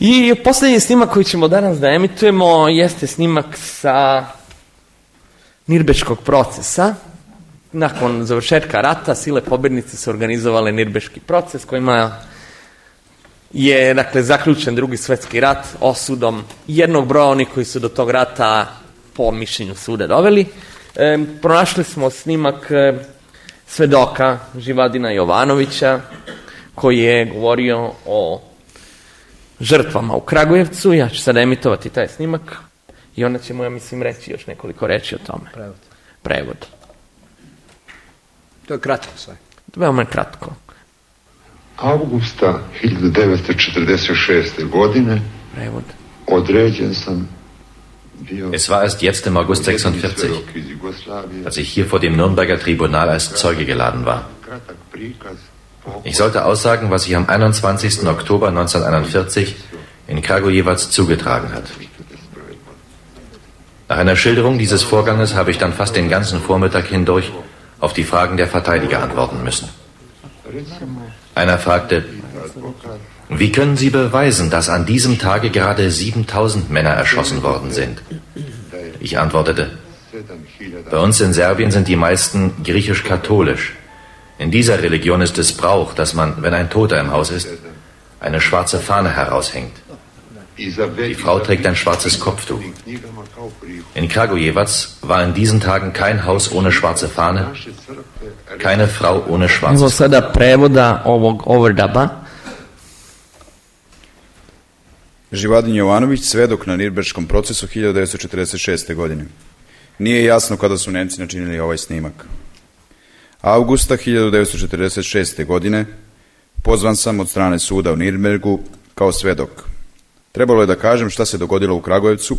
I posljednji snimak koji ćemo danas da emitujemo jeste snimak sa Nirbeškog procesa. Nakon završetka rata sile pobjednice su organizovale Nirbeški proces kojima je dakle zaključen Drugi svjetski rat osudom jednog broja onih koji su do tog rata po mišljenju suda doveli. Pronašli smo snimak svedoka Živadina Jovanovića koji je govorio o žrtvama u Kragujevcu. Ja ću sad emitovati taj snimak i onda ćemo, ja mislim, reći još nekoliko reči o tome. Prevod. To je kratko sve. Veoma kratko. Avgusta 1946. godine Prevod. određen sam bio... Es war erst jetzt im August 46, als ich hier vor dem Nürnberger Tribunal als Zeuge geladen war. Ich sollte aussagen, was sich am 21. Oktober 1941 in Kragujevac zugetragen hat. Nach einer Schilderung dieses Vorganges habe ich dann fast den ganzen Vormittag hindurch auf die Fragen der Verteidiger antworten müssen. Einer fragte, wie können Sie beweisen, dass an diesem Tage gerade 7000 Männer erschossen worden sind? Ich antwortete, bei uns in Serbien sind die meisten griechisch-katholisch. In dieser Religion ist es Brauch, dass man, wenn ein Toter im Haus ist, eine schwarze Fahne heraushängt. Die Frau trägt ein schwarzes Kopftuch. In Kragujevac war in diesen Tagen kein Haus ohne schwarze Fahne, keine Frau ohne schwarzes Evo sada prevoda ovog overdaba. Živadin Jovanović, svedok na Nirbeškom procesu 1946. godine. Nije jasno kada su Nemci načinili ovaj snimak. Avgusta 1946. godine pozvan sam od strane suda u Nirnbergu kao svedok. Trebalo je da kažem šta se dogodilo u Kragujevcu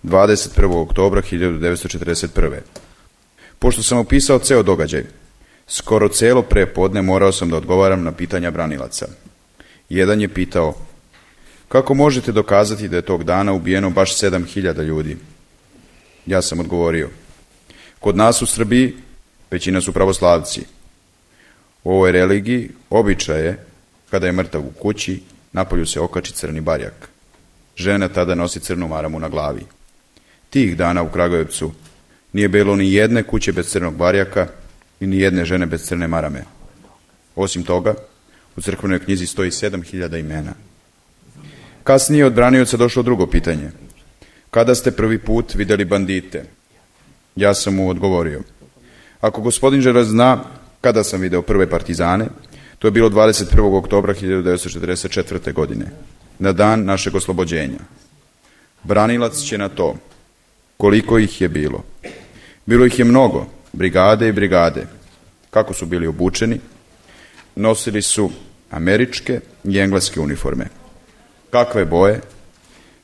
21. oktobra 1941. Pošto sam opisao ceo događaj, skoro celo prepodne morao sam da odgovaram na pitanja branilaca. Jedan je pitao, kako možete dokazati da je tog dana ubijeno baš 7000 ljudi? Ja sam odgovorio, kod nas u Srbiji većina su pravoslavci. U ovoj religiji običaj je, kada je mrtav u kući, napolju se okači crni barjak. Žena tada nosi crnu maramu na glavi. Tih dana u Kragujevcu nije bilo ni jedne kuće bez crnog barjaka i ni jedne žene bez crne marame. Osim toga, u crkvenoj knjizi stoji 7000 imena. Kasnije od branioca došlo drugo pitanje. Kada ste prvi put vidjeli bandite? Ja sam mu odgovorio. Ako gospodin žele zna kada sam video prve partizane, to je bilo 21. oktobra 1944. godine, na dan našeg oslobođenja. Branilac će na to. Koliko ih je bilo? Bilo ih je mnogo, brigade i brigade. Kako su bili obučeni? Nosili su američke i engleske uniforme. Kakve boje?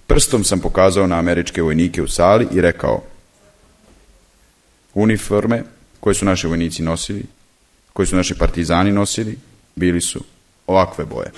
Prstom sam pokazao na američke vojnike u sali i rekao, uniforme koje su naši vojnici nosili, koje su naši partizani nosili, bili su ovakve boje.